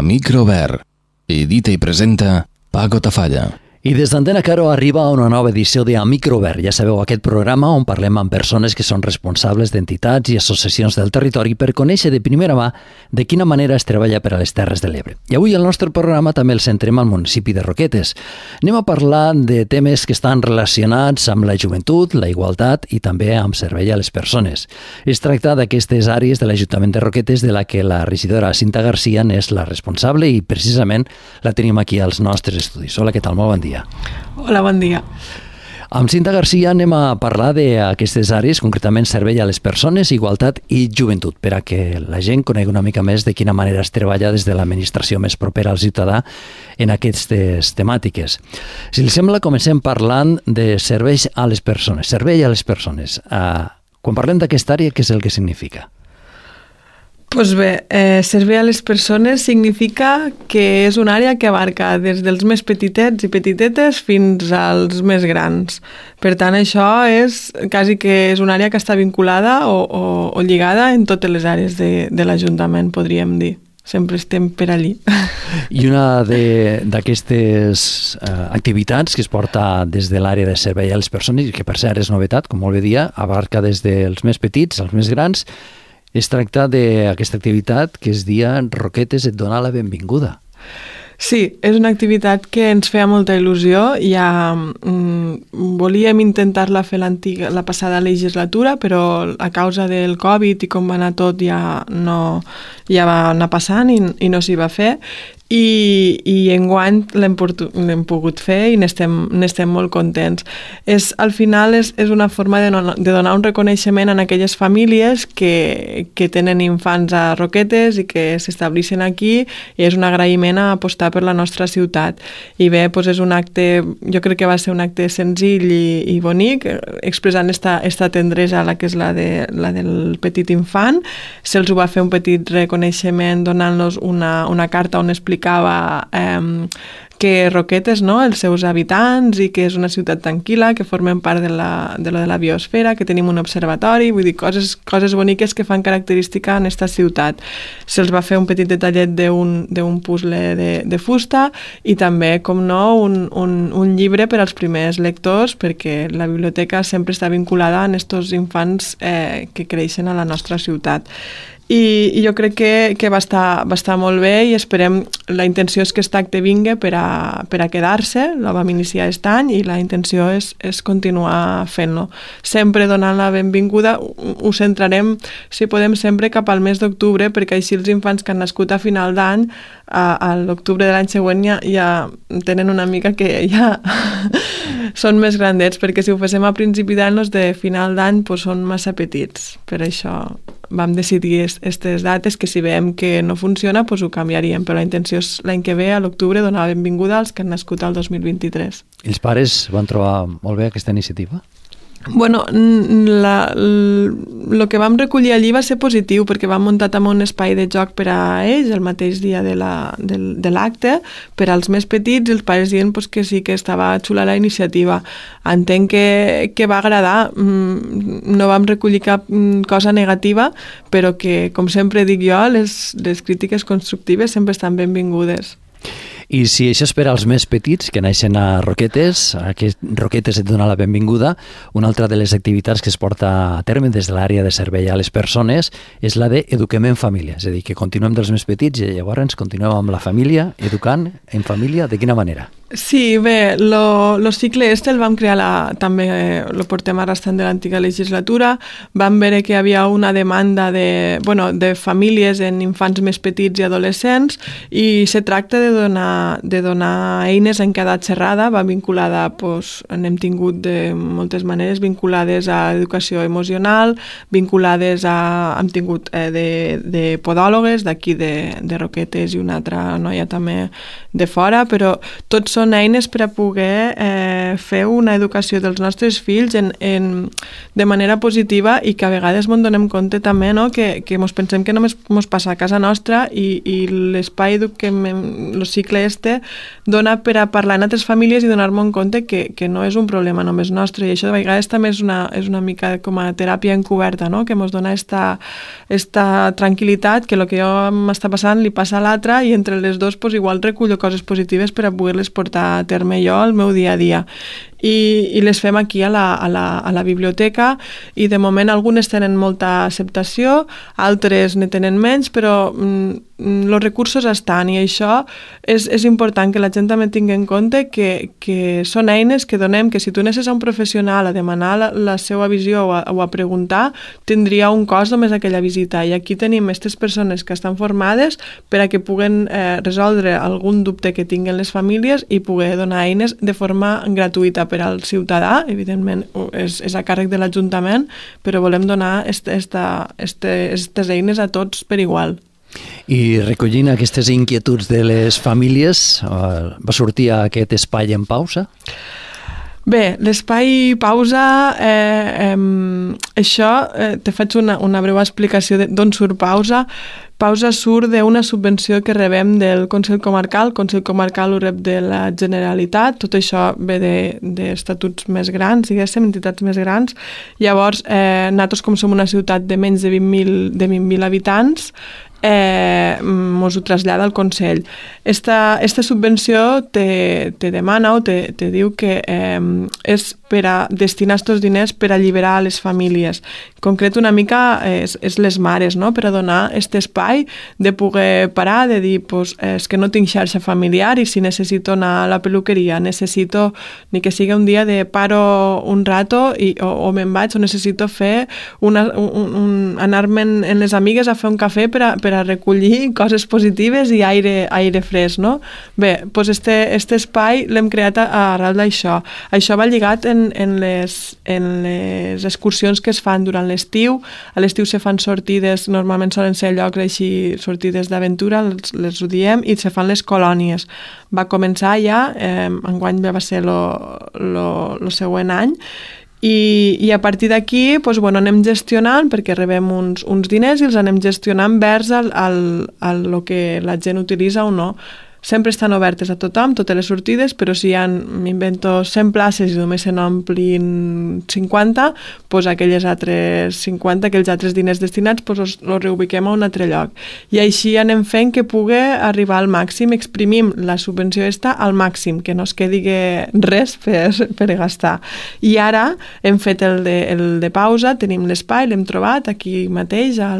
A Microver. Edita i presenta Paco Tafalla. I des d'Antena Caro arriba una nova edició de A Microver. Ja sabeu, aquest programa on parlem amb persones que són responsables d'entitats i associacions del territori per conèixer de primera mà de quina manera es treballa per a les Terres de l'Ebre. I avui el nostre programa també el centrem al municipi de Roquetes. Anem a parlar de temes que estan relacionats amb la joventut, la igualtat i també amb servei a les persones. Es tracta d'aquestes àrees de l'Ajuntament de Roquetes de la que la regidora Cinta Garcia n'és la responsable i precisament la tenim aquí als nostres estudis. Hola, què tal? Molt bon dia. Hola, bon dia. Amb Cinta Garcia anem a parlar d'aquestes àrees, concretament servei a les persones, igualtat i joventut, per a que la gent conegui una mica més de quina manera es treballa des de l'administració més propera al ciutadà en aquestes temàtiques. Si li sembla, comencem parlant de serveis a les persones. Servei a les persones. Quan parlem d'aquesta àrea, què és el que significa? Doncs bé, servei a les persones significa que és una àrea que abarca des dels més petitets i petitetes fins als més grans. Per tant, això és quasi que és una àrea que està vinculada o lligada en totes les àrees de l'Ajuntament, podríem dir. Sempre estem per allí. I una d'aquestes activitats que es porta des de l'àrea de servei a les persones, que per cert és novetat, com molt bé dia, abarca des dels més petits als més grans. Es tracta d'aquesta activitat que es dia Roquetes et dona la benvinguda. Sí, és una activitat que ens feia molta il·lusió. Ja volíem intentar-la fer la passada legislatura, però a causa del Covid i com va anar tot ja va anar passant i no s'hi va fer. I enguany l'hem pogut fer i n'estem molt contents. Al final és una forma de donar un reconeixement a aquelles famílies que tenen infants a Roquetes i que s'estableixen aquí, i és un agraïment a apostar per la nostra ciutat. I bé, doncs és un acte, jo crec que va ser un acte senzill i bonic, expressant esta tendresa, la que és la del petit infant. Se'ls ho va fer un petit reconeixement donant-los una carta on explicava que Roquetes, no?, els seus habitants, i que és una ciutat tranquil·la, que formen part de la biosfera, que tenim un observatori, vull dir, coses boniques que fan característica en aquesta ciutat. Se'ls va fer un petit detallet d'un puzzle de fusta i també, com no, un llibre per als primers lectors, perquè la biblioteca sempre està vinculada a aquests infants que creixen a la nostra ciutat. I jo crec que va estar molt bé, i esperem, la intenció és que aquest acte vingui per a quedar-se. La vam iniciar aquest any i la intenció és continuar fent-lo. Sempre donant la benvinguda, ho centrarem, si podem, sempre cap al mes d'octubre, perquè així els infants que han nascut a final d'any, a l'octubre de l'any següent ja tenen una mica que ja són més grandets, perquè si ho féssim a principi d'any, els de final d'any són massa petits. Per això vam decidir aquestes dates, que si veiem que no funciona, ho canviaríem, però la intenció és l'any que ve, a l'octubre, donar la benvinguda als que han nascut al 2023. I els pares van trobar molt bé aquesta iniciativa? Bueno, el que vam recollir allí va ser positiu, perquè vam muntar també un espai de joc per a ells el mateix dia de l'acte, per als més petits, i els pares dient que sí, que estava xula la iniciativa. Entenc que va agradar. No vam recollir cap cosa negativa, però que, com sempre dic jo, les crítiques constructives sempre estan benvingudes. I si això és per als més petits, que naixen a Roquetes, Roquetes et dona la benvinguda, una altra de les activitats que es porta a terme des de l'àrea de servei a les persones és la d'Eduquem en Família, és a dir, que continuem dels més petits i llavors continuem amb la família, educant en família. De quina manera? Sí, bé, el cicle el vam crear, també el portem arrastrant de l'antiga legislatura. Vam veure que hi havia una demanda de famílies en infants més petits i adolescents, i se tracta de donar eines en cada xerrada. Va vinculada, n'hem tingut de moltes maneres, vinculades a educació emocional, vinculades hem tingut de podòlogues d'aquí de Roquetes i una altra noia també de fora, però tots són eines per a poder fer una educació dels nostres fills de manera positiva i que a vegades ens donem compte també, no? que ens pensem que només ens passa a casa nostra i l'espai el cicle dona per a parlar en altres famílies i donar-me en compte que no és un problema només nostre, i això de vegades també és una mica com a teràpia encoberta, no? Que ens dona esta tranquil·litat, que el que jo m'està passant li passa a l'altre, i entre les dues pues, igual recullo coses positives per a poder-les portar a terme jo al meu dia a dia. I les fem aquí a la biblioteca, i de moment algunes tenen molta acceptació, altres ne tenen menys, però els recursos estan, i això és important que la gent també tingui en compte que són eines que donem, que si tu anessis a un professional a demanar la seva visió o a preguntar, tindria un cost només aquella visita, i aquí tenim aquestes persones que estan formades per a que puguen resoldre algun dubte que tinguin les famílies i poder donar eines de forma gratuïta per al ciutadà. Evidentment és a càrrec de l'Ajuntament, però volem donar aquestes eines a tots per igual. I recollint aquestes inquietuds de les famílies, va sortir aquest espai en pausa? Bé, l'espai pausa, això, te faig una breu explicació d'on surt pausa. Pausa surt d'una subvenció que rebem del Consell Comarcal. El Consell Comarcal ho rep de la Generalitat. Tot això ve d'estatuts més grans, diguéssim, entitats més grans. Llavors, nosaltres, com som una ciutat de menys de 20.000 habitants, mos ho trasllada al Consell. Esta subvenció te demana o te diu que és per a destinar aquests diners per alliberar les famílies. En concret, una mica és les mares, no? Per a donar aquest espai de poder parar, de dir, pues, és que no tinc xarxa familiar i si necessito anar a la peluqueria, necessito, ni que sigui un dia de paro un rato o me'n vaig, o necessito fer anar-me en les amigues a fer un cafè per a recollir coses positives i aire fresc, no? Bé, doncs este espai l'hem creat arrel d'això. Això va lligat en les excursions que es fan durant l'estiu. A l'estiu se fan sortides, normalment solen ser llocs així, sortides d'aventura, les ho diem, i se fan les colònies. Va començar ja, enguany va ser el següent any, i a partir d'aquí anem gestionant, perquè rebem uns diners i els anem gestionant vers el que la gent utilitza o no. Sempre estan obertes a tothom, totes les sortides, però si m'invento 100 places i només se n'omplin 50, doncs aquelles altres 50, aquells altres diners destinats, els reubiquem a un altre lloc. I així anem fent que pugui arribar al màxim, exprimim la subvenció al màxim, que no es quedi res per gastar. I ara hem fet el de pausa, tenim l'espai, l'hem trobat aquí mateix, a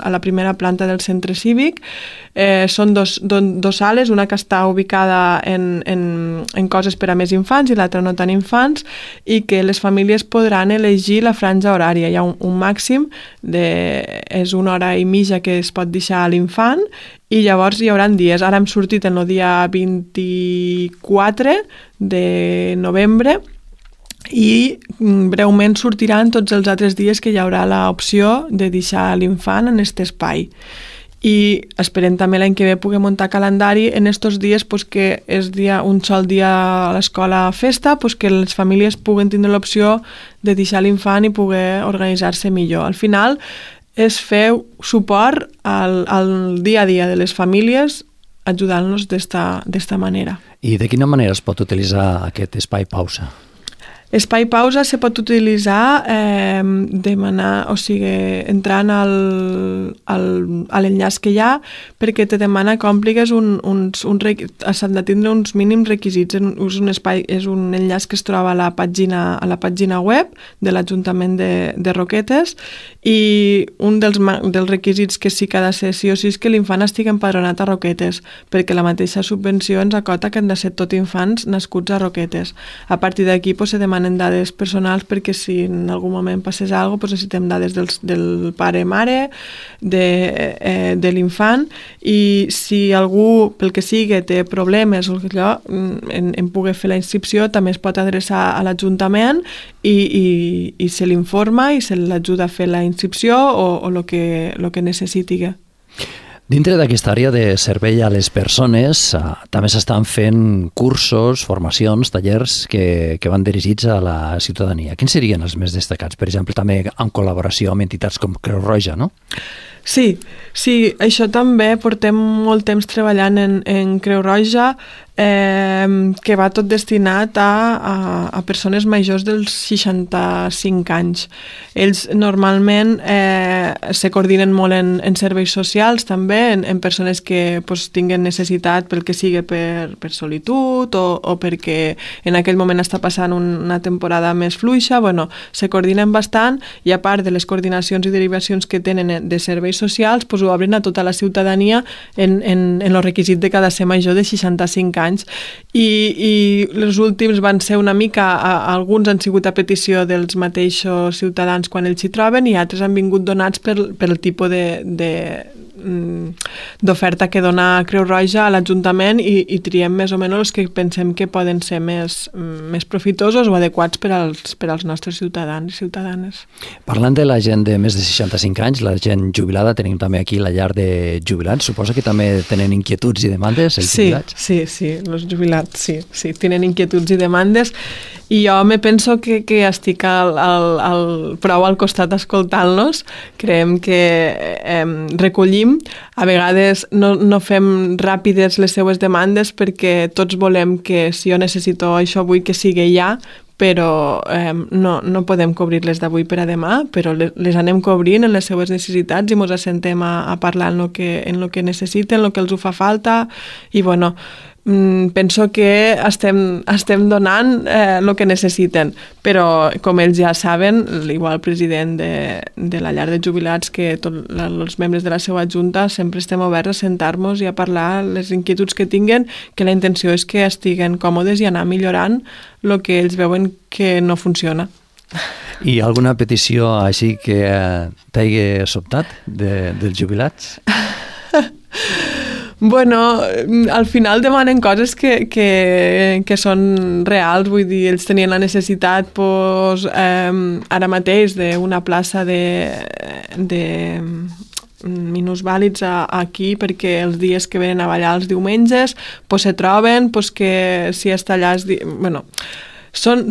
la primera planta del centre cívic. Són dos sales, una que està ubicada en coses per a més infants i l'altra no tan infants, i que les famílies podran elegir la franja horària. Hi ha un màxim, és 1 hora i mitja que es pot deixar a l'infant, i llavors hi haurà dies. Ara hem sortit el dia 24 de novembre, i breument sortiran tots els altres dies que hi haurà l'opció de deixar l'infant en aquest espai. I esperem també l'any que ve poder muntar calendari en aquests dies, que és un sol dia a l'escola festa, que les famílies puguen tindre l'opció de deixar l'infant i poder organitzar-se millor. Al final és fer suport al dia a dia de les famílies, ajudant-los d'esta manera. I de quina manera es pot utilitzar aquest espai pausa? Espai pausa se pot utilitzar entrant a l'enllaç que hi ha, perquè te demana que ompligues s'han de tindre uns mínims requisits. És un enllaç que es troba a la pàgina web de l'Ajuntament de Roquetes, i un dels requisits que sí que ha de ser sí o sí és que l'infant estigui empadronat a Roquetes, perquè la mateixa subvenció ens acota que han de ser tot infants nascuts a Roquetes. A partir d'aquí se demanen dades personals, perquè si en algun moment passés alguna cosa, necessitem dades del pare-mare, de l'infant, i si algú, pel que sigui, té problemes o allò, en poder fer la inscripció, també es pot adreçar a l'Ajuntament i se l'informa i se l'ajuda a fer la inscripció o el que necessiti. Dintre d'aquesta àrea de servei a les persones també s'estan fent cursos, formacions, tallers que van dirigits a la ciutadania. Quins serien els més destacats? Per exemple, també en col·laboració amb entitats com Creu Roja, no? Sí, això també portem molt temps treballant en Creu Roja, que va tot destinat a persones majors dels 65 anys. Ells normalment se coordinen molt en serveis socials també, en persones que tinguen necessitat pel que sigui per solitud o perquè en aquell moment està passant una temporada més fluixa. Se coordinen bastant i a part de les coordinacions i derivacions que tenen de serveis socials, ho obren a tota la ciutadania en el requisit de que ha de ser major de 65 anys. I els últims van ser una mica, alguns han sigut a petició dels mateixos ciutadans quan ells s'hi troben i altres han vingut donats pel tipus d'oferta que dona Creu Roja a l'Ajuntament i triem més o menys els que pensem que poden ser més profitosos o adequats per als nostres ciutadans i ciutadanes. Parlant de la gent de més de 65 anys, la gent jubilada, tenim també aquí la llar de jubilats. Suposo que també tenen inquietuds i demandes, els jubilats? Sí, els jubilats, sí, tenen inquietuds i demandes i jo me penso que estic prou al costat escoltant-los. Creiem que recollim. A vegades no fem ràpides les seues demandes perquè tots volem que si jo necessito això avui que sigui ja, però no podem cobrir-les d'avui per a demà, però les anem cobrint en les seues necessitats i ens assentem a parlar en el que necessiten, en el que els ho fa falta i penso que estem donant el que necessiten, però com ells ja saben, igual el president de la llar de jubilats que tots els membres de la seva junta sempre estem oberts a sentar-nos i a parlar les inquietuds que tinguen, que la intenció és que estiguen còmodes i anar millorant el que ells veuen que no funciona. I alguna petició així que t'hagi sobtat dels jubilats? Al final demanen coses que són reals, vull dir, ells tenien la necessitat ara mateix d'una plaça de minusvàlids aquí perquè els dies que venen a ballar els diumenges se troben, que si està allà són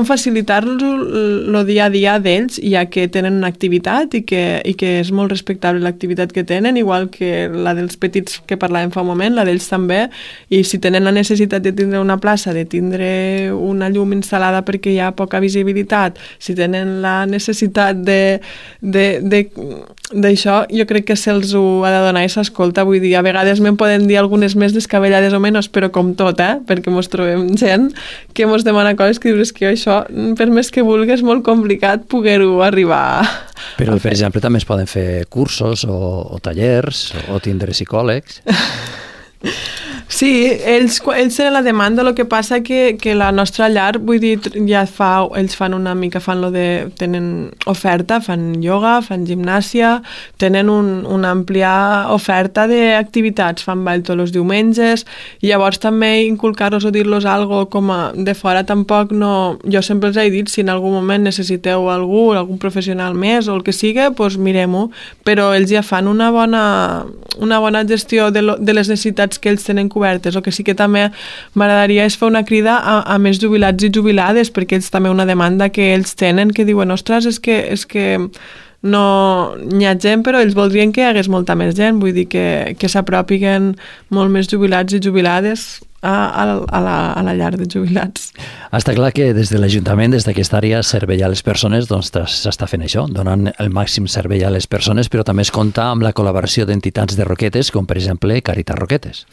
facilitar-los el dia a dia d'ells, ja que tenen una activitat i que és molt respectable l'activitat que tenen, igual que la dels petits que parlàvem fa un moment, la d'ells també, i si tenen la necessitat de tindre una plaça, de tindre una llum instal·lada perquè hi ha poca visibilitat, si tenen la necessitat d'això, jo crec que se'ls ho ha de donar i s'escolta. Vull dir, a vegades me'n poden dir algunes més descabellades o menys, però com tot, perquè mos trobem gent que mos demana coses que dius que això, per més que vulguis, és molt complicat poder-ho arribar Però, per exemple, també es poden fer cursos o tallers o tindre psicòlegs. Sí, ells tenen la demanda, el que passa que la nostra llar, vull dir, ells fan una mica, tenen oferta, fan ioga, fan gimnàsia, tenen una àmplia oferta d'activitats, fan ball tots els diumenges, i llavors també inculcar-los o dir-los alguna cosa com de fora tampoc no... Jo sempre els he dit, si en algun moment necessiteu algun professional més o el que sigui, doncs mirem-ho, però ells ja fan una bona gestió de les necessitats que ells tenen cobertes. El que sí que també m'agradaria és fer una crida a més jubilats i jubilades, perquè ells també una demanda que ells tenen, que diuen, ostres, és que no hi ha gent, però ells voldrien que hi hagués molta més gent, vull dir que s'apropiguen molt més jubilats i jubilades a la llar de jubilats. Està clar que des de l'Ajuntament, des d'aquesta àrea servei a les persones, doncs s'està fent això, donant el màxim servei a les persones, però també es compta amb la col·laboració d'entitats de Roquetes, com per exemple Càritas Roquetes.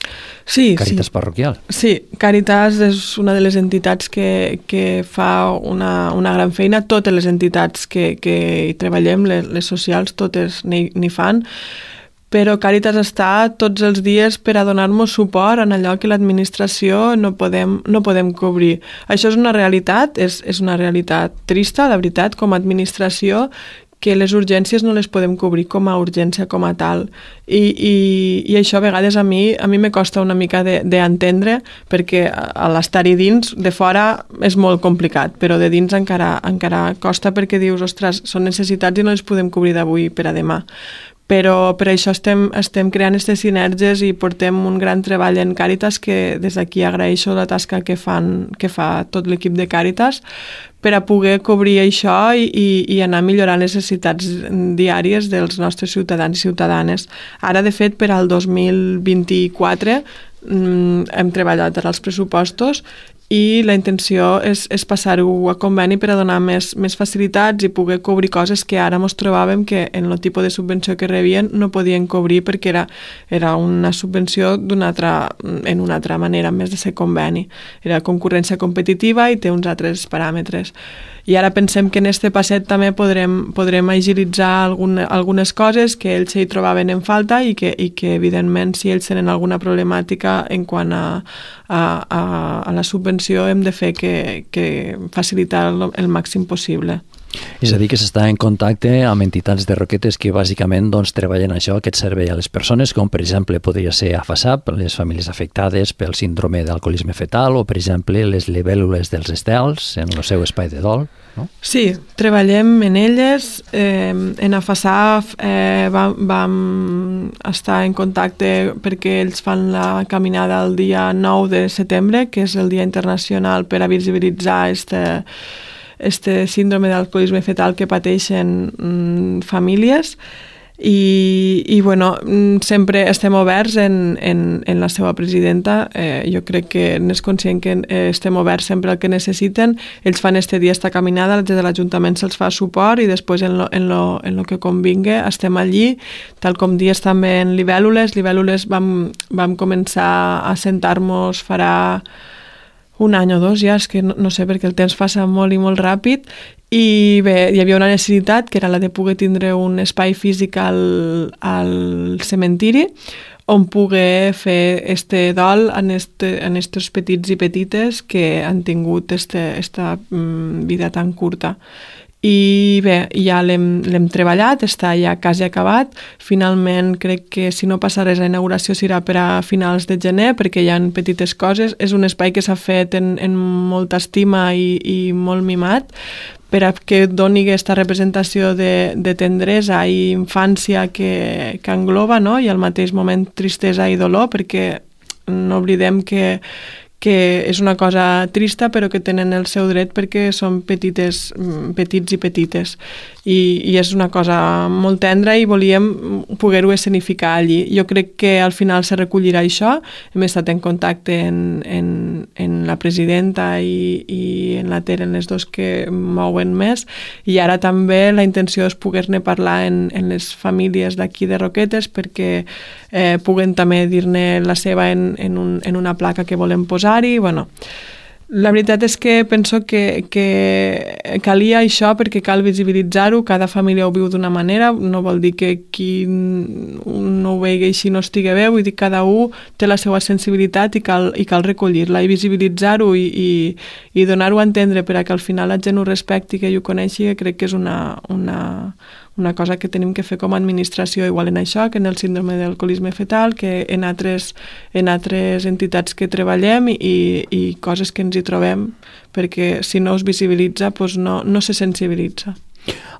Sí, Càritas parroquial. Sí, Càritas és una de les entitats que fa una gran feina. Totes les entitats que hi treballem, les socials, totes n'hi fan, però Càritas està tots els dies per a donar-nos suport en allò que l'administració no podem cobrir. Això és una realitat, és una realitat trista, de veritat, com a administració, que les urgències no les podem cobrir com a urgència, com a tal. I això a vegades a mi me costa una mica d'entendre, perquè a l'estar-hi dins, de fora és molt complicat, però de dins encara costa, perquè dius, ostres, són necessitats i no les podem cobrir d'avui per a demà. però per això estem creant aquestes sinergies i portem un gran treball en Càritas, que des d'aquí agraeixo la tasca que fa tot l'equip de Càritas per a poder cobrir això i anar millorant les necessitats diàries dels nostres ciutadans i ciutadanes. Ara, de fet, per al 2024 hem treballat als pressupostos i la intenció és passar-ho a conveni per a donar més facilitats i poder cobrir coses que ara ens trobàvem que en el tipus de subvenció que rebien no podien cobrir perquè era una subvenció en una altra manera, més de ser conveni. Era concurrència competitiva i té uns altres paràmetres. I ara pensem que en este passet també podrem agilitzar algunes coses que ells hi trobaven en falta i que evidentment, si ells tenen alguna problemàtica en quant a la subvenció, hem de fer que facilitar el màxim possible. És a dir, que s'està en contacte amb entitats de Roquetes que bàsicament treballen això, aquest servei a les persones, com per exemple podria ser AFASAP, les famílies afectades pel síndrome d'alcoholisme fetal, o per exemple les libèl·lules dels estels en el seu espai de dol, no? Sí, treballem en elles. En AFASAP vam estar en contacte perquè ells fan la caminada el dia 9 de setembre, que és el Dia Internacional per a visibilitzar este síndrome d'alcoholisme fetal que pateixen famílies i bueno, sempre estem oberts en la seva presidenta. Jo crec que n'és conscient que estem oberts sempre al que necessiten. Ells fan este dia esta caminada, des de l'Ajuntament se'ls fa suport i després en lo que convingui estem allí, tal com dies també en libèl·lules. Libèl·lules vam començar a sentar-nos farà un any o dos ja, és que no sé, perquè el temps passa molt i molt ràpid, i bé, hi havia una necessitat que era la de poder tindre un espai físic al cementiri on poder fer este dol en estos petits i petites que han tingut esta vida tan curta. I bé, ja l'hem treballat, està ja quasi acabat. Finalment crec que si no passa res la inauguració serà per a finals de gener, perquè hi ha petites coses. És un espai que s'ha fet en molta estima i molt mimat per a que doni aquesta representació de tendresa i infància que engloba, no? I al mateix moment tristesa i dolor, perquè no oblidem que és una cosa trista però que tenen el seu dret perquè són petits i petites i és una cosa molt tendra i volíem poder-ho escenificar allí. Jo crec que al final se recollirà això. Hem estat en contacte en la presidenta i en la Ter, en les dos que mouen més, i ara també la intenció és poder-ne parlar en les famílies d'aquí de Roquetes perquè puguen també dir-ne la seva en una placa que volem posar-hi. Bueno, la veritat és que penso que calia això perquè cal visibilitzar-ho. Cada família ho viu d'una manera, no vol dir que qui no ho vegi així no estigui bé, vull dir que cada un té la seva sensibilitat i cal recollir-la i visibilitzar-ho i donar-ho a entendre per a que al final la gent ho respecti, que ho coneixi, que crec que és una cosa que tenim que fer com a administració, igual en això, que en el síndrome d'alcoholisme fetal, que en altres entitats que treballem i coses que ens hi trobem, perquè si no es visibilitza, doncs no se sensibilitza.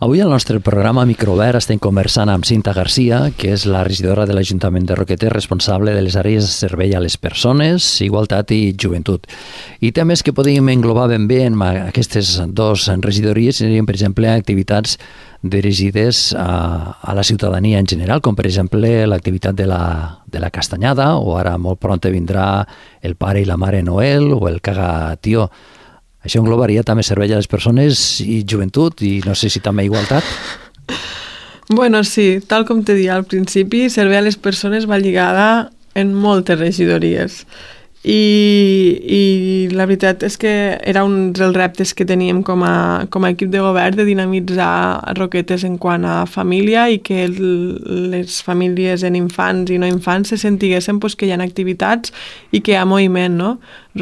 Avui al nostre programa Microobert estem conversant amb Cinta Garcia, que és la regidora de l'Ajuntament de Roquetes, responsable de les àrees de servei a les persones, igualtat i joventut. I temes que podríem englobar ben bé en aquestes dues regidories serien, per exemple, activitats dirigides a la ciutadania en general, com per exemple l'activitat de la castanyada, o ara molt pront vindrà el pare i la mare Noel, o el caga tió. Això englobaria també servei a les persones i joventut, i no sé si també igualtat? Bueno, sí, tal com te deia al principi, servei a les persones va lligada en moltes regidories. I la veritat és que era un dels reptes que teníem com a equip de govern, de dinamitzar Roquetes en quant a família i que les famílies en infants i no infants se sentiguessin que hi ha activitats i que hi ha moviment, no? A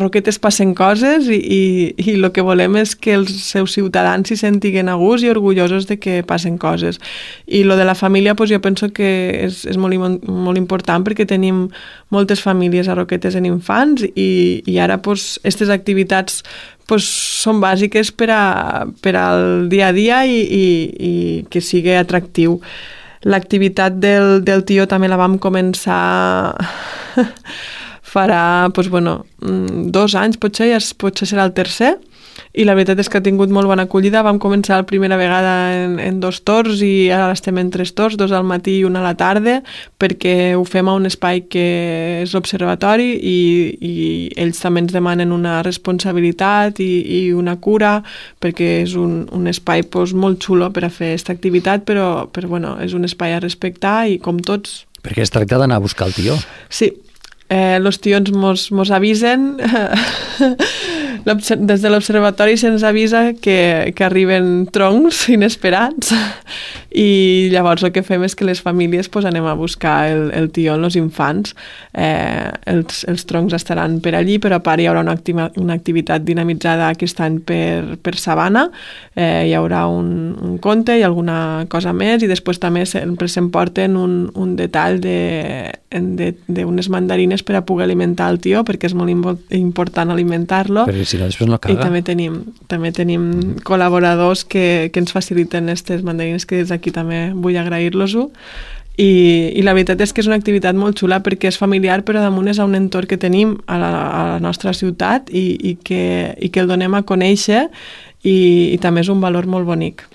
Roquetes passen coses i el que volem és que els seus ciutadans s'hi sentiguen a gust i orgullosos de que passen coses. I lo de la família, jo penso que és molt, molt important perquè tenim moltes famílies a Roquetes en infants i ara aquestes activitats pues, són bàsiques per al dia a dia i que sigui atractiu. L'activitat del tió també la vam començar farà, doncs, 2 anys, potser serà el tercer, i la veritat és que ha tingut molt bona acollida. Vam començar la primera vegada en 2 torns i ara estem en 3 torns, 2 al matí i 1 a la tarda, perquè ho fem a un espai que és l'observatori i ells també ens demanen una responsabilitat i una cura, perquè és un espai molt xulo per a fer aquesta activitat, però és un espai a respectar i com tots... Perquè es tracta d'anar a buscar el tió. Sí, els tions mos avisen... Des de l'observatori se'ns avisa que arriben troncs inesperats i llavors el que fem és que les famílies anem a buscar el tió en els infants. Els troncs estaran per allí, però a part hi haurà una activitat dinamitzada aquest any per Sabana. Hi haurà un conte i alguna cosa més, i després també sempre s'emporten un detall d'unes mandarines per a poder alimentar el tió, perquè és molt important alimentar-lo. Perquè si no, després no caga. I també tenim col·laboradors que ens faciliten aquestes mandarines, que des d'aquí també vull agrair-los-ho. I la veritat és que és una activitat molt xula perquè és familiar, però damunt és un entorn que tenim a la nostra ciutat i que el donem a conèixer i també és un valor molt bonic.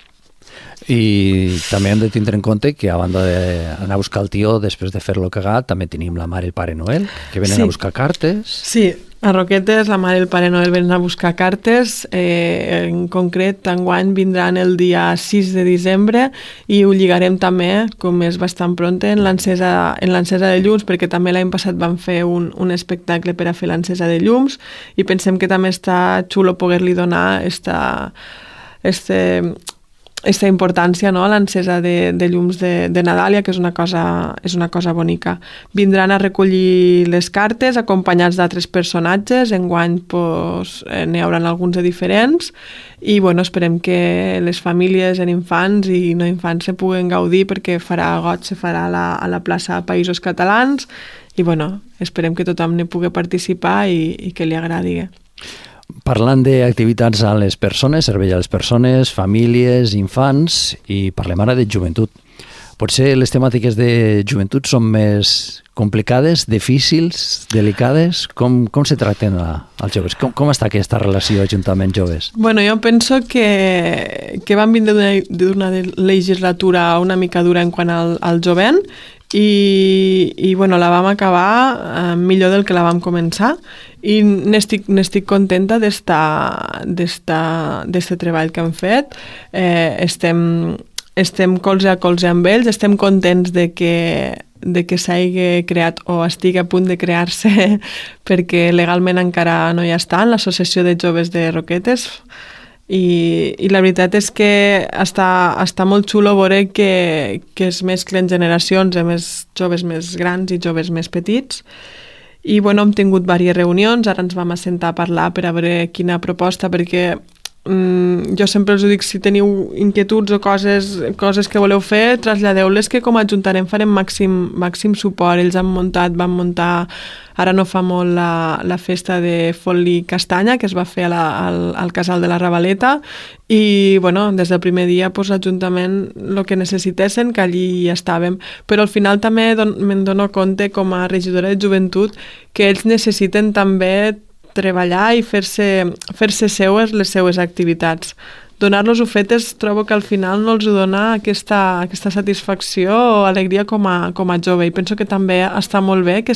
I també hem de tindre en compte que a banda d'anar a buscar el tió després de fer-lo cagar, també tenim la mare i el pare Noel, que venen a buscar cartes. Sí, a Roquetes la mare i el pare Noel venen a buscar cartes. En concret, enguany vindran el dia 6 de desembre i ho lligarem també, com és bastant pronte, en l'encesa de llums, perquè també l'any passat vam fer un espectacle per a fer l'encesa de llums i pensem que també està xulo poder-li donar aquesta importància, no?, a l'encesa de llums de Nadal, que és una cosa bonica. Vindran a recollir les cartes acompanyats d'altres personatges. Enguany n'hi haurà alguns de diferents i esperem que les famílies en infants i no infants se puguen gaudir, perquè farà goig, se farà a la plaça Països Catalans i esperem que tothom n'hi pugui participar i que li agradi. Parlant d'activitats a les persones, servei a les persones, famílies, infants, i parlem ara de joventut. Potser les temàtiques de joventut són més complicades, difícils, delicades? Com se tracten als joves? Com està aquesta relació Ajuntament-joves? Jo penso que vam vindre d'una legislatura una mica dura en quant al jovent i la vam acabar millor del que la vam començar i n'estic contenta d'este treball que hem fet. Estem colze a colze amb ells, estem contents de que s'hagi creat o estigui a punt de crear-se perquè legalment encara no hi està, en l'Associació de Joves de Roquetes, i la veritat és que està molt xulo veure que es mesclen generacions, més joves més grans i joves més petits. I hem tingut diverses reunions, ara ens vam assentar a parlar per a veure quina proposta, perquè jo sempre us dic, si teniu inquietuds o coses que voleu fer, traslladeu-les, que com a Ajuntament farem màxim suport. Ells van muntar ara no fa molt la festa de Foli Castanya, que es va fer al Casal de la Ravaleta, i des del primer dia l'Ajuntament el que necessitessin, que allí hi estàvem. Però al final també me'n dono compte, com a regidora de joventut, que ells necessiten també treballar i fer-se seues les seues activitats. Donar-los-ho fetes trobo que al final no els dona aquesta satisfacció o alegria com a jove, i penso que també està molt bé que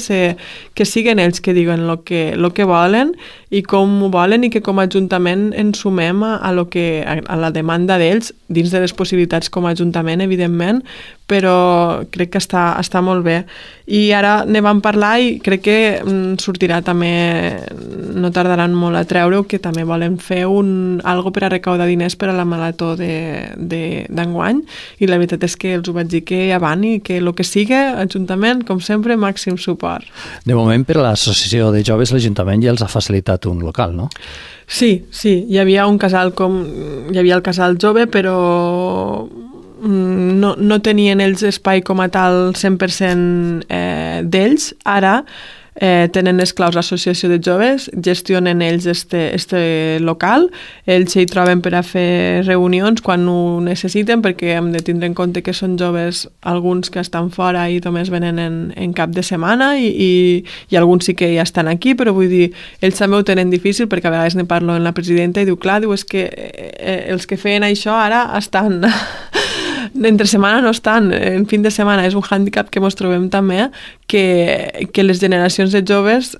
siguin ells que diguen el que volen i com ho volen, i que com a Ajuntament ens sumem a la demanda d'ells, dins de les possibilitats com a Ajuntament, evidentment, però crec que està molt bé. I ara ne vam parlar i crec que sortirà també, no tardaran molt a treure-ho, que també volen fer algo per a recaudar diners per a la marató d'enguany, i la veritat és que els ho vaig dir que avant, i que el que sigui, Ajuntament, com sempre, màxim suport. De moment, per a l'associació de joves, l'Ajuntament ja els ha facilitat un local, no? Sí, hi havia el casal jove, però no tenien ells espai com a tal 100% d'ells. Ara tenen esclaus l'associació de joves, gestionen ells este local, ells s'hi troben per a fer reunions quan ho necessiten, perquè hem de tindre en compte que són joves, alguns que estan fora i només venen en cap de setmana i alguns sí que ja estan aquí, però vull dir, ells també ho tenen difícil, perquè a vegades ne parlo amb la presidenta i diu, clar, és que els que feien això ara estan... entre setmana no estan, en fin de setmana. És un hàndicap que ens trobem també, que les generacions de joves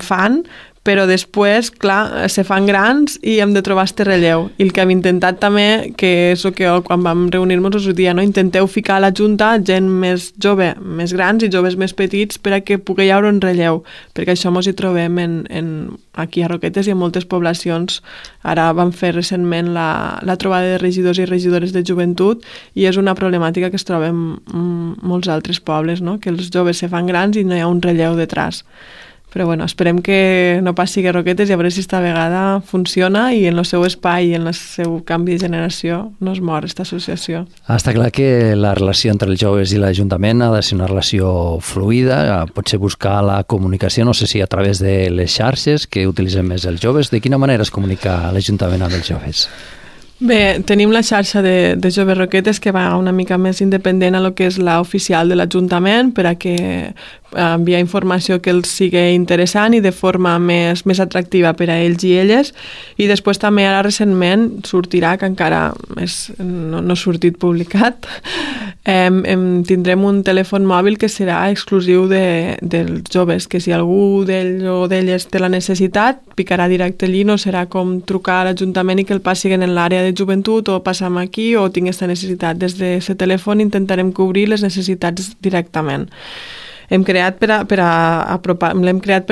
fan, però després, clar, se fan grans i hem de trobar este relleu. I el que hem intentat també, que és el que quan vam reunir-nos us ho dia, no? Intenteu ficar a la Junta gent més jove, més grans i joves més petits per a que pugui haver un relleu, perquè això ens hi trobem aquí a Roquetes i en moltes poblacions. Ara vam fer recentment la trobada de regidors i regidores de joventut i és una problemàtica que es troba en molts altres pobles, no? Que els joves se fan grans i no hi ha un relleu detrás. Però bueno, esperem que no passi a Roquetes i a veure si esta vegada funciona i en el seu espai i en el seu canvi de generació no es mor aquesta associació. Està clar que la relació entre els joves i l'Ajuntament ha de ser una relació fluida, potser buscar la comunicació, no sé si a través de les xarxes que utilitzen més els joves. De quina manera es comunica l'Ajuntament amb els joves? Bé, tenim la xarxa de Joves Roquetes que va una mica més independent a lo que és l'oficial de l'Ajuntament per a que enviar informació que els sigui interessant i de forma més atractiva per a ells i elles. I després també ara recentment sortirà, que encara no ha sortit publicat, tindrem un telèfon mòbil que serà exclusiu dels joves, que si algú d'ells o d'elles té la necessitat, picarà directe allí, no serà com trucar a l'Ajuntament i que el passin en l'àrea de joventut o passam aquí o tinc aquesta necessitat. Des d'aquest telèfon intentarem cobrir les necessitats directament. L'hem creat per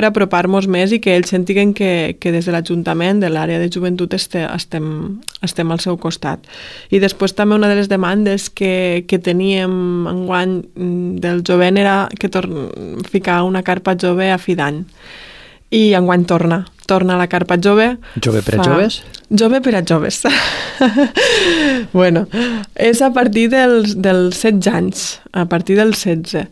apropar-nos més i que ells sentiguen que des de l'Ajuntament, de l'àrea de joventut, estem al seu costat. I després també una de les demandes que teníem enguany del jovent era que ficar una carpa jove a fi d'any. I enguany torna la carpa jove. Jove per a joves? Jove per a joves. Bueno, és a partir dels 16 anys, a partir dels 16.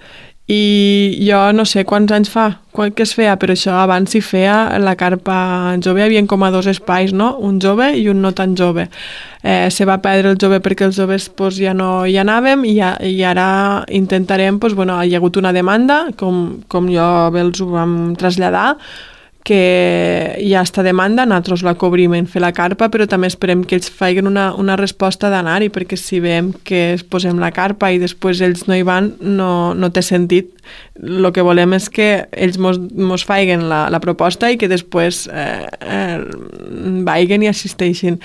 I jo no sé quants anys fa que es feia, però això abans s'hi feia la carpa jove, hi havia com a dos espais, no? Un jove i un no tan jove. Se va perdre el jove perquè els joves ja no hi anàvem i ara intentarem, hi ha hagut una demanda, com jo els ho vam traslladar, que hi ha esta demanda, nosaltres la cobrim en fer la carpa, però també esperem que ells facin una resposta d'anar-hi, perquè si veiem que posem la carpa i després ells no hi van, no té sentit. El que volem és que ells mos facin la proposta i que després vagin i assisteixin.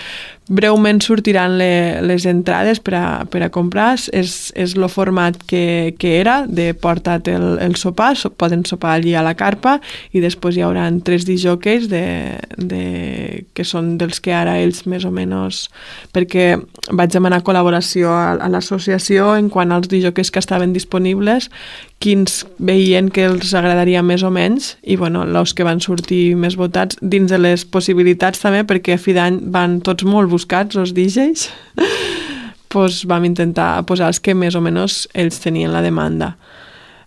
Breument sortiran les entrades per a comprar. És el format que era, de porta't el sopar, poden sopar allí a la carpa i després hi haurà 3 disjòqueis que són dels que ara ells més o menys, perquè vaig demanar col·laboració a l'associació en quant als disjòqueis que estaven disponibles, quins veien que els agradaria més o menys, i els que van sortir més votats dins de les possibilitats també, perquè a fi d'any van tots molt buscats, els DJs, vam intentar posar els que més o menys ells tenien la demanda.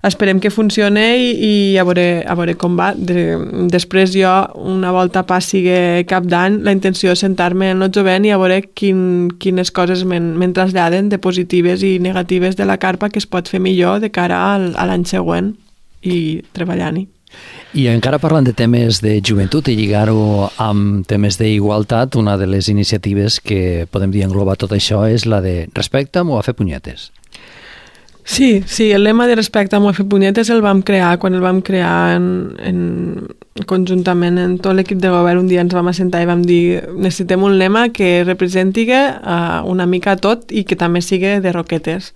Esperem que funcione i a veure com va. Després jo, una volta passi cap d'any, la intenció és sentar-me en el jovent i a veure quines coses me'n traslladen de positives i negatives de la carpa que es pot fer millor de cara a l'any següent i treballant-hi. I encara parlant de temes de joventut i lligar-ho amb temes d'igualtat, una de les iniciatives que podem dir englobar tot això és la de respecta'm o a fer punyetes. Sí, el lema de respecta'm o a fer punyetes el vam crear quan el vam crear conjuntament en tot l'equip de govern. Un dia ens vam assentar i vam dir necessitem un lema que representi una mica tot i que també sigui de Roquetes.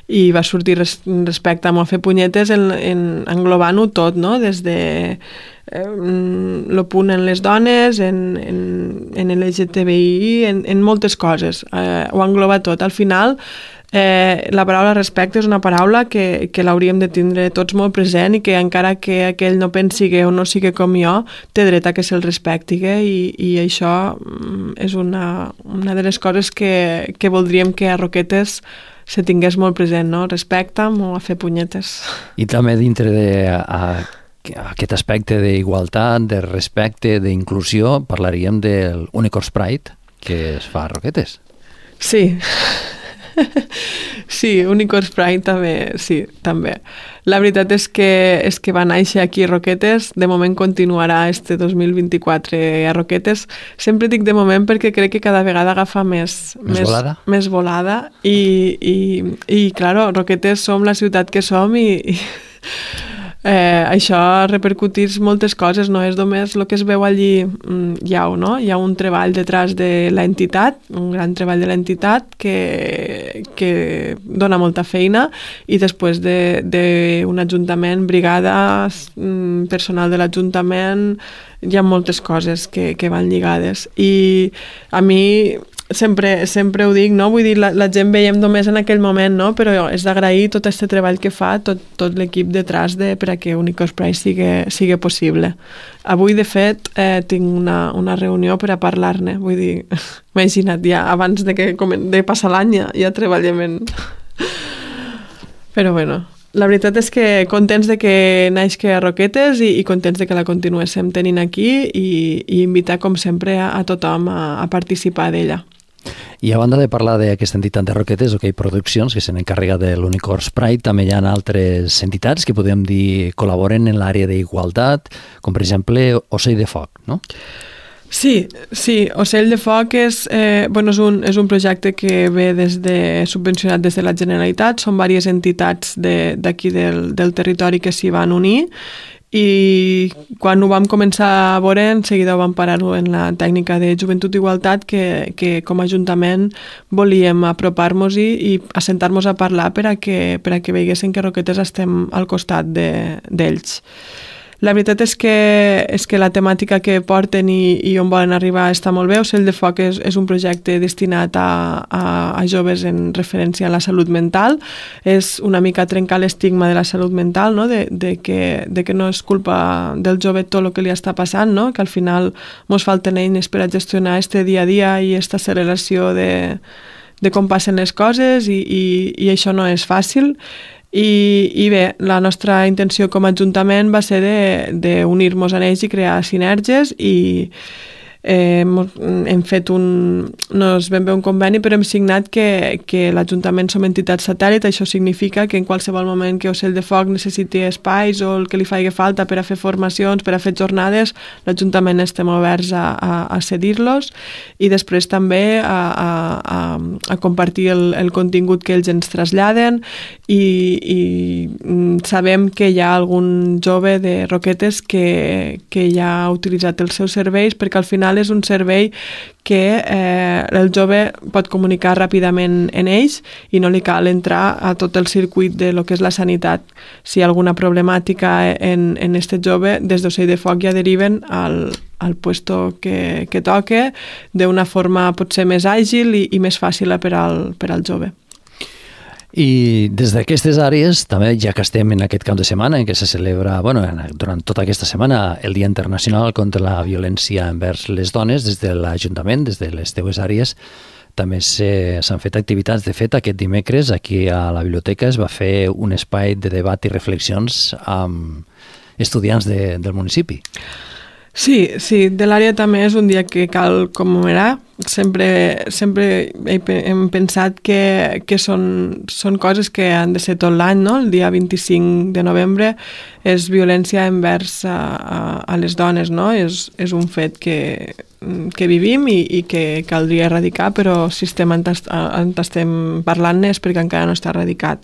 I va sortir respecta'm o a fer punyetes englobant-ho tot, no? Des de el punt en les dones, en LGTBI, en moltes coses. Ho engloba tot. Al final, la paraula respecte és una paraula que l'hauríem de tindre tots molt present i que encara que aquell no pensi o no sigui com jo, té dret a que se'l respecti i això és una de les coses que voldríem que a Roquetes se tingués molt present, no? Respecta'm o a fer punyetes. I també dintre d'aquest aquest aspecte d'igualtat, de respecte, d'inclusió, parlaríem del Unicorns Pride que es fa a Roquetes. Sí. Sí, Unicorns Pride també, sí, també. La veritat és que va néixer aquí a Roquetes, de moment continuarà este 2024 a Roquetes. Sempre dic de moment perquè crec que cada vegada agafa més volada i claro, Roquetes som la ciutat que som i això repercutís moltes coses, no és només el que es veu allí, hi ha un treball detrás de l'entitat, un gran treball de l'entitat que dona molta feina i després d'un ajuntament, brigades, personal de l'ajuntament, hi ha moltes coses que van lligades i a mi sempre ho dic, no? Vull dir, la gent veiem només en aquell moment, no? Però és d'agrair tot aquest treball que fa tot l'equip detrás per a que Unicorns Pride sigui possible. Avui, de fet, tinc una reunió per a parlar-ne, vull dir, imagina't, ja abans de passar l'any ja treballem en... Però bueno, la veritat és que contents de que naixi a Roquetes i contents de que la continuéssim tenint aquí i invitar, com sempre, a tothom a participar d'ella. I a banda de parlar d'aquesta entitat de Roquetes, OK Produccions, que se n'encarrega de l'Unicorns Pride, també hi ha altres entitats que podem dir col·laboren en l'àrea d'igualtat, com per exemple Ocell de Foc, no? Sí, Ocell de Foc és un projecte que ve subvencionat des de la Generalitat, són diverses entitats d'aquí del territori que s'hi van unir i quan ho vam començar a veure en seguida ho vam parar-ho en la tècnica de Joventut i Igualtat que com a Ajuntament volíem apropar-nos-hi i assentar-nos a parlar per a que veiguessin que Roquetes estem al costat d'ells. La veritat és que la temàtica que porten i on volen arribar està molt bé. Ocell de Foc és un projecte destinat a joves en referència a la salut mental. És una mica trencar l'estigma de la salut mental, no? de que no és culpa del jove tot el que li està passant, no? Que al final ens falten eines per a gestionar este dia a dia i aquesta acceleració de com passen les coses i això no és fàcil. I bé, la nostra intenció com a Ajuntament va ser d'unir-nos a ells i crear sinergies i hem fet no es ben bé un conveni, però hem signat que l'Ajuntament som entitat satèl·lit. Això significa que en qualsevol moment que Ocell de Foc necessiti espais o el que li faci falta per a fer formacions, per a fer jornades, l'Ajuntament estem oberts a cedir-los i després també a compartir el contingut que ells ens traslladen i sabem que hi ha algun jove de Roquetes que ja ha utilitzat els seus serveis perquè al final és un servei que el jove pot comunicar ràpidament en ells i no li cal entrar a tot el circuit de lo que és la sanitat. Si hi ha alguna problemàtica en este jove, des d'Ocell de Foc ja deriven al puesto que toque d'una forma potser més àgil i més fàcil per al jove. I des d'aquestes àrees, també ja que estem en aquest cap de setmana en què se celebra, durant tota aquesta setmana, el Dia Internacional contra la Violència envers les Dones, des de l'Ajuntament, des de les teues àrees, també s'han fet activitats. De fet, aquest dimecres, aquí a la biblioteca, es va fer un espai de debat i reflexions amb estudiants del municipi. Sí, de l'àrea també és un dia que cal commemorar. Sempre hem pensat que són coses que han de ser tot l'any, no? El dia 25 de novembre és violència envers a les dones, no? És un fet que vivim i que caldria erradicar, però si estem parlant-ne és perquè encara no està erradicat.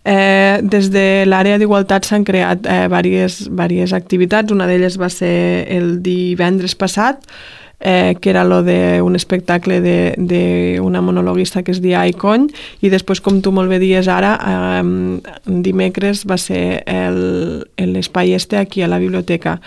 Des de l'àrea d'igualtat s'han creat diverses activitats. Una d'elles va ser el divendres passat, que era un espectacle d'una monologuista que es deia Icon, i després, com tu molt bé dies ara, dimecres va ser l'espai aquí a la biblioteca.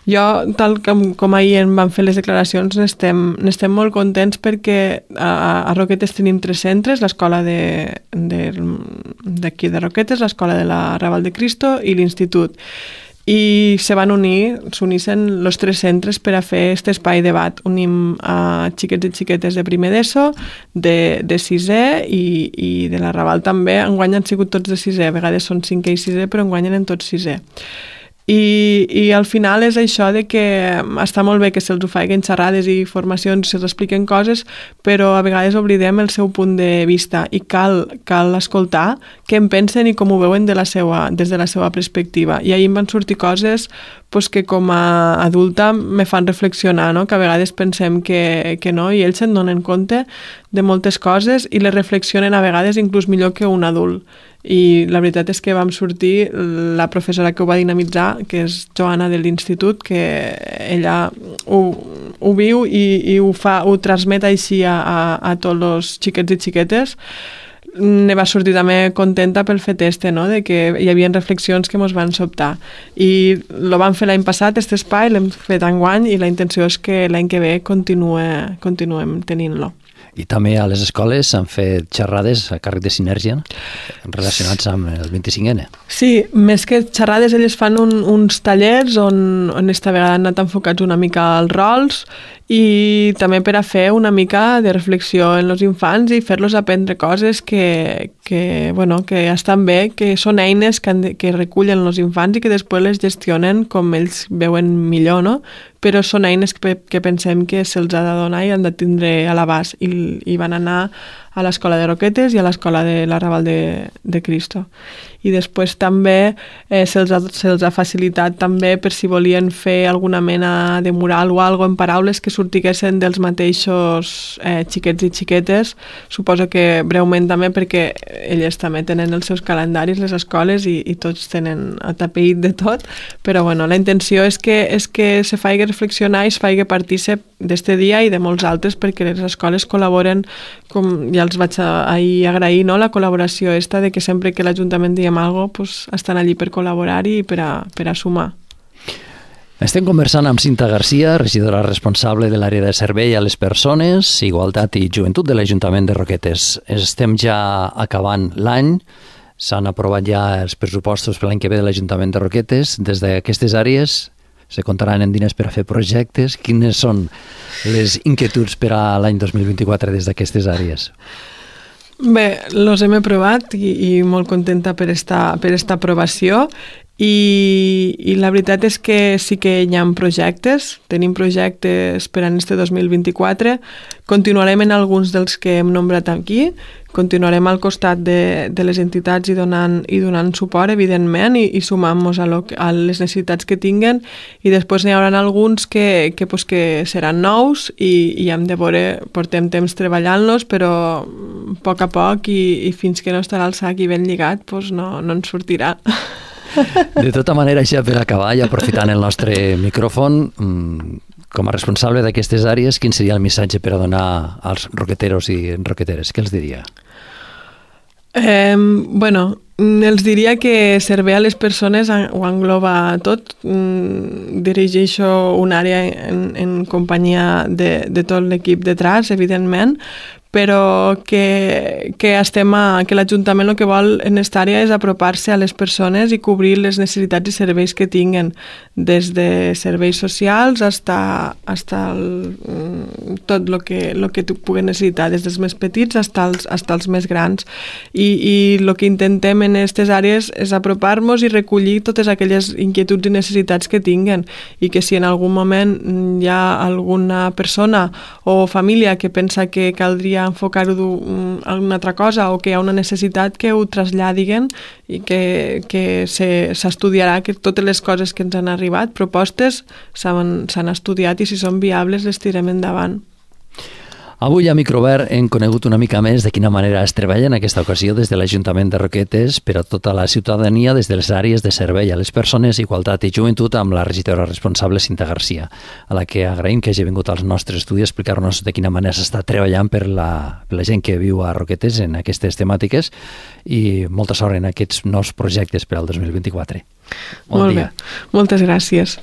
Jo, tal com ahir em van fer les declaracions, n'estem molt contents perquè a Roquetes tenim 3 centres, l'escola d'aquí de Roquetes, l'escola de la Raval de Cristo i l'institut. I s'unissin els 3 centres per a fer aquest espai de debat. Unim a xiquets i xiquetes de primer d'ESO, de sisè i de la Raval també. Enguany han sigut tots de sisè, a vegades són 5è i 6è, però enguany eren tots 6è. I al final és això de que està molt bé que se'ls ho facin xerrades i formacions, se'ls expliquen coses, però a vegades oblidem el seu punt de vista i cal escoltar què en pensen i com ho veuen des de la seva perspectiva. I ahir em van sortir coses pues, que com a adulta me fan reflexionar, no? Que a vegades pensem que no i ells se'n donen compte de moltes coses i les reflexionen a vegades inclús millor que un adult. I la veritat és que vam sortir la professora que ho va dinamitzar, que és Joana de l'Institut, que ella ho viu i ho transmet així a tots els xiquets i xiquetes. Ne va sortir també contenta pel fet no? De que hi havia reflexions que ens van sobtar. I lo vam fer l'any passat, aquest espai, l'hem fet enguany i la intenció és que l'any que ve continuem tenint-lo. I també a les escoles s'han fet xerrades a càrrec de Sinergia relacionats amb el 25N. Sí, més que xerrades, elles fan uns tallers on esta vegada han anat enfocats una mica als rols i també per a fer una mica de reflexió en els infants i fer-los aprendre coses que estan bé, que són eines que recullen els infants i que després les gestionen com ells veuen millor, no? Però són eines que pensem que se'ls ha de donar i han de tindre a l'abast i van anar a l'Escola de Roquetes i a l'Escola de l'Arrabal de Cristo. I després també se'ls ha facilitat també per si volien fer alguna mena de mural o alguna en paraules que sortiguessin dels mateixos xiquets i xiquetes. Suposo que breument també perquè elles també tenen els seus calendaris, les escoles, i tots tenen atapeït de tot, però bueno, la intenció és que se faci reflexionar i es faci partícip d'este dia i de molts altres perquè les escoles col·laboren, com ja els vaig ahir agrair, no? La col·laboració esta de que sempre que l'Ajuntament diem alguna cosa, pues, estan allí per col·laborar-hi i per a sumar. Estem conversant amb Cinta Garcia, regidora responsable de l'àrea de servei a les persones, igualtat i joventut de l'Ajuntament de Roquetes. Estem ja acabant l'any, s'han aprovat ja els pressupostos per l'any que ve de l'Ajuntament de Roquetes. Des d'aquestes àrees se comptaran en diners per a fer projectes. Quines són les inquietuds per a l'any 2024 des d'aquestes àrees? Bé, els hem aprovat i molt contenta per esta aprovació i la veritat és que sí que hi ha projectes, tenim projectes per a este 2024, continuarem en alguns dels que hem nombrat aquí, continuarem al costat de les entitats i donant suport, evidentment, i sumant-nos a les necessitats que tinguen, i després n'hi haurà alguns que seran nous i hem de veure, portem temps treballant-los, però a poc i fins que no estarà el sac i ben lligat, no ens sortirà. De tota manera, ja per acabar i aprofitant el nostre micròfon, com a responsable d'aquestes àrees, quin seria el missatge per a donar als roqueteros i roqueteres? Què els diria? Els diria que servei a les persones ho engloba tot. Dirigeixo una àrea en companyia de tot l'equip de TRAS, evidentment, però que l'Ajuntament el que vol en aquesta àrea és apropar-se a les persones i cobrir les necessitats i serveis que tinguen, des de serveis socials fins tot el que tu puguin necessitar, des dels més petits fins als més grans. I el que intentem en aquestes àrees és apropar-nos i recollir totes aquelles inquietuds i necessitats que tinguen, i que si en algun moment hi ha alguna persona o família que pensa que caldria enfocar-ho d'una altra cosa o que hi ha una necessitat, que ho traslladin i que s'estudiarà, que totes les coses que ens han arribat, propostes, s'han estudiat i si són viables les tirem endavant. Avui a Microobert hem conegut una mica més de quina manera es treballa en aquesta ocasió des de l'Ajuntament de Roquetes per a tota la ciutadania des de les àrees de servei a les persones, igualtat i joventut amb la regidora responsable Cinta Garcia, a la que agraïm que hagi vingut als nostres estudis a explicar-nos de quina manera s'està treballant per la gent que viu a Roquetes en aquestes temàtiques i molta sort en aquests nous projectes per al 2024. Molt bé, moltes gràcies.